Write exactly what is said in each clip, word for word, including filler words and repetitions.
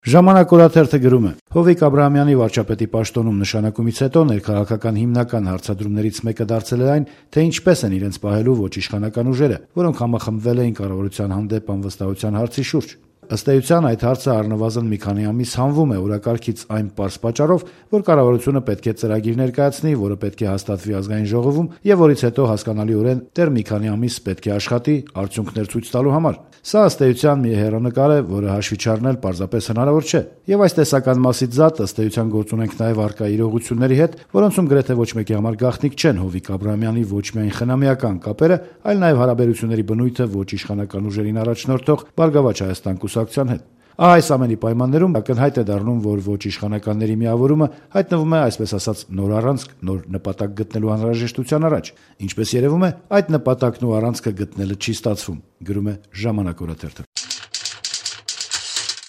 Ժամանակ օրաթերթը գրում է. Հովիկ Աբրահամյանի վարչապետի պաշտոնում նշանակումից հետո ներքաղաքական հիմնական հարցադրումներից մեկը դարձել է այն, թե ինչպես են իրենց պահելու ոչ իշխանական ուժերը, որոնք համախմբվել էին կառավարության հանդեպ անվստահության հարցի շուրջ։ Ըստ էության, այդ հարցը առնվազն մի քանի ամիս հանվում է օրակարգից այն պարզ պատճառով, որ կառավարությունը պետք է ծրագիր ներկայացնի, որը պետք է հաստատվի ազգային ժողովում եւ որից հետո հասկանալիորեն դեռ մի քանի ամիս պետք է աշխատի արդյունքներ ցույց տալու համար։ Սա ըստ էության մի հեռանկար է, որը հաշվի չառնել պարզապես հնարավոր չէ։ Եվ այս տեսական մասից զատ ըստ էության գործ ունենք նաեւ արկա իրողությունների հետ, որոնցում գրեթե ոչ մեկի համար գաղտնիք չեն Հովիկ Աբրահամյանի ոչ միայն խնամիական կապերը, այլ նաեւ հարաբերությունների բնույթը ոչ իշխանական ուժերին առաջնորդող Բարգավաճ Հայաստան կուսակցության հետ։ Ահա այս ամենի պայմաններում ակնհայտ է դառնում, որ ոչ իշխանականների միավորումը հայտնվում է, այսպես ասած, նոր առանցք, նոր նպատակ գտնելու անհրաժեշտության առաջ։ Ինչպես երևում է, այդ նպատակն ու առանցքը գտնելը չի ստացվում, գրում է Ժամանակ օրաթերթը։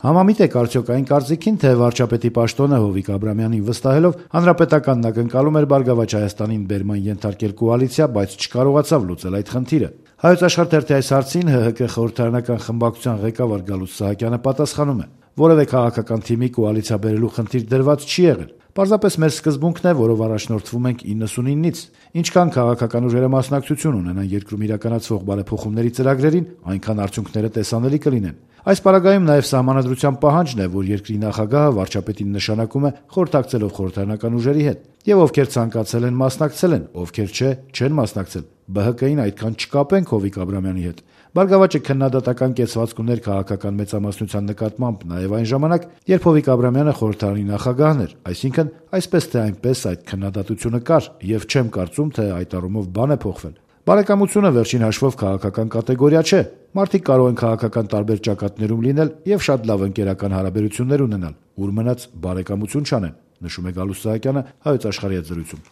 Համամիտ եք արդյոք այն կարծիքին, թե վարչապետի պաշտոնը Հովիկ Աբրահամյանին վստահելով հանրապետականն ակնկալում էր Բարգավաճ Հայաստանին բերման ենթարկել կոալիցիա, բայց չկարողացավ լուծել այդ խնդիրը։ Հայոց Աշխարհ թերթի այս հարցին ՀՀԿ խորհրդարանական խմբակցության ղեկավար Գալուստ Սահակյանը պատասխանում է. որևէ քաղաքական թիմի կոալիցիա բերելու խնդիր դրված չի եղել։ Պարզապես մեր սկզբունքն է, որով առաջնորդվում ենք իննսունինից։ Ինչքան քաղաքական ուժերը մասնակցություն ունենան երկրում իրականացվող բարեփոխումների ծրագրերին, այնքան արդյունքները տեսանելի կլինեն։ Այս պարագայում նաև սահմանադրության պահանջն է, որ երկրի նախագահը վարչապետին նշանակում է խորհրդակցելով խորհրդարանական ուժերի հետ, եւ ովքեր ցանկացել են մասնակցել են, ովքեր չէ, չեն մասնակցել։ ԲՀԿ-ին այդքան չկապենք Հովիկ Աբրահամյանի հետ։ Բարգավաճը քննադատական կեցվածք ուներ քաղաքական մեծամասնության նկատմամբ նաև այն ժամանակ, երբ Հովիկ Աբրահամյանը խորհրդարանի նախագահն էր, այսինքն այսպես թե այնպես այդ քննադատությունը կար, եւ չեմ կարծում, թե այդ առումով բան է փոխվել։ Բարեկամությունը վերջին հաշվով քաղաքական կատեգորիա չէ։ Մարդիկ կարող են քաղաքական տարբեր ճակատներում լինել եւ շատ լավ ընկերական հարաբերություններ ունենալ, ուր մնաց բարեկամություն չանեն, նշում է Գալուստ Սահակյանը Հայոց Աշխարհի հետ զրույցում։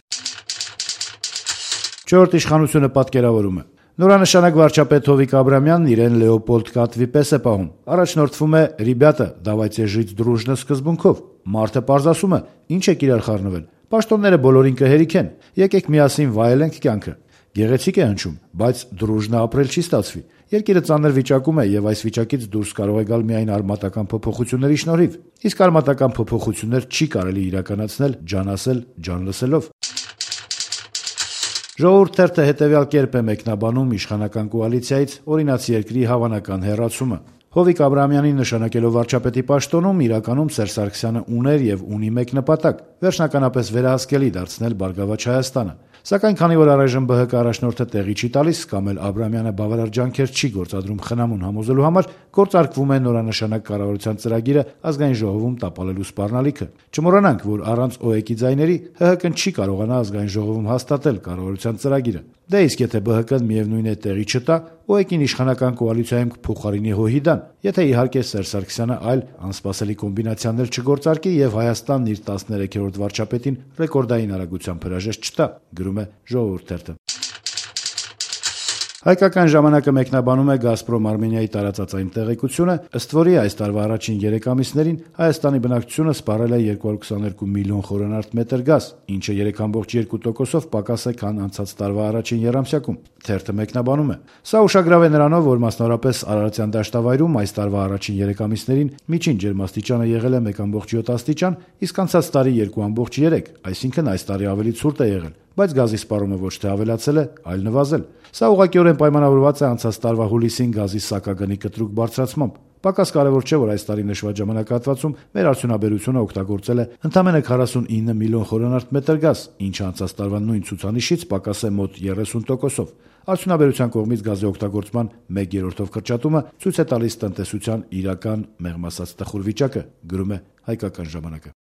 Չորրորդ իշխանությունը պատկերավորում է. Նորանշանակ վարչապետ Հովիկ Աբրահամյանն իրեն Լեոպոլդ Կատվի պես է պահում։ Առաջնորդվում է «Ռիբյատա, давайте жить дружно» սկզբունքով։ Մարդը պարզ ասում է. ինչ եք իրար խառնվել։ Պաշտոնները բոլորին կհերիքեն։ Եկեք միասին վայելենք կյանքը։ Գեղեցիկ է հնչում, բայց դրուժնա ապրել չի ստացվի։ Երկիրը ծանր վիճակում է եւ այս վիճակից դուրս կարող է գալ միայն արմատական փոփոխությունների շնորհիվ։ Իսկ արմատական փոփոխություններ չի կարելի իրականացնել ջան ասել, ջան լսելով։ Ժողովուրդ թերթը հետևյալ կերպ է մեկնաբանում իշխանական կոալիցիայից օրինացի երկրի հավանական հեռացումը։ Հովիկ Աբրահամյանին նշանակելով վարչապետի պաշտոնում իրականում Սերժ Սարգսյանը ուներ եւ ունի մեկ նպատակ՝ վերջնականապես վերահսկելի դարձնել Բարգավաճ Հայաստանը։ Սակայն քանի որ առայժմ ԲՀԿ առաջնորդը տեղի չի տալիս կամ էլ Աբրահամյանը բավարար ջանքեր չի գործադրում խնամուն համոզելու համար, գործարկվում է նորանշանակ կառավարության ծրագիրը ազգային ժողովում տապալելու սպառնալիքը։ Չմոռանանք, որ առանց ՕԵԿ-ի ձայների ՀՀԿ-ն չի կարողանա ազգային ժողովում հաստատել կառավարության ծրագիրը։ Դե իսկ եթե ԲՀԿ-ն միևնույն է տեղի չտա, ՕԵԿ-ին իշխանական կոալիցիայում կփոխարինի հոհիդան, եթե իհարկե Սերժ Սարգսյանը այլ անսպասելի կոմբինացիաներ չգործարկի եւ Հայաստանն իր տասներեքերորդ վարչապետին ռեկորդային արագությամբ հրաժեշտ չտա, գրում է Ժողովուրդ թերթը։ Հայկական ժամանակը մեկնաբանում է «Գազպրոմ Արմենիայի» տարածած այն տեղեկությունը, ըստ որի այս տարվա առաջին երեք ամիսներին Հայաստանի բնակչությունը սպառել է երկու հարյուր քսաներկու միլիոն խորանարդ մետր գազ, ինչը երեք կόμք երկու տոկոսով պակաս է, քան անցած տարվա առաջին եռամսյակում։ Թերթը մեկնաբանում է. Սա ուշագրավ է նրանով, որ մասնավորապես Արարատյան դաշտավայրում այս տարվա առաջին երեք ամիսներին միջին ջերմաստիճանը եղել է մեկ կόμք յոթ աստիճան, իսկ անցած տարի երկու կόμք երեք, այսինքն այս տարի ավելի ցուրտ է եղել, բայց գազի սպառումը ոչ թե ավելացել է, այլ նվազել։ Սա ուղղակիորեն պայմանավորված է անցած տարվա հուլիսին գազի սակագնի կտրուկ բարձրացմամբ։ Պակաս կարևոր չէ, որ այս տարի նշված ժամանակահատվածում մեր արդյունաբերությունը օգտագործել է ընդամենը քառասունինը միլիոն խորանարդ մետր գազ, ինչը անցած տարվա նույն ցուցանիշից պակաս է մոտ երեսուն տոկոսով։ Արդյունաբերության կողմից գազի օգտագործման մեկ երրորդով կրճատումը ցույց է տալիս տնտեսության իրական, մեղմ ասած, տխուր վիճակը, գրում է Հայկական ժամանակը։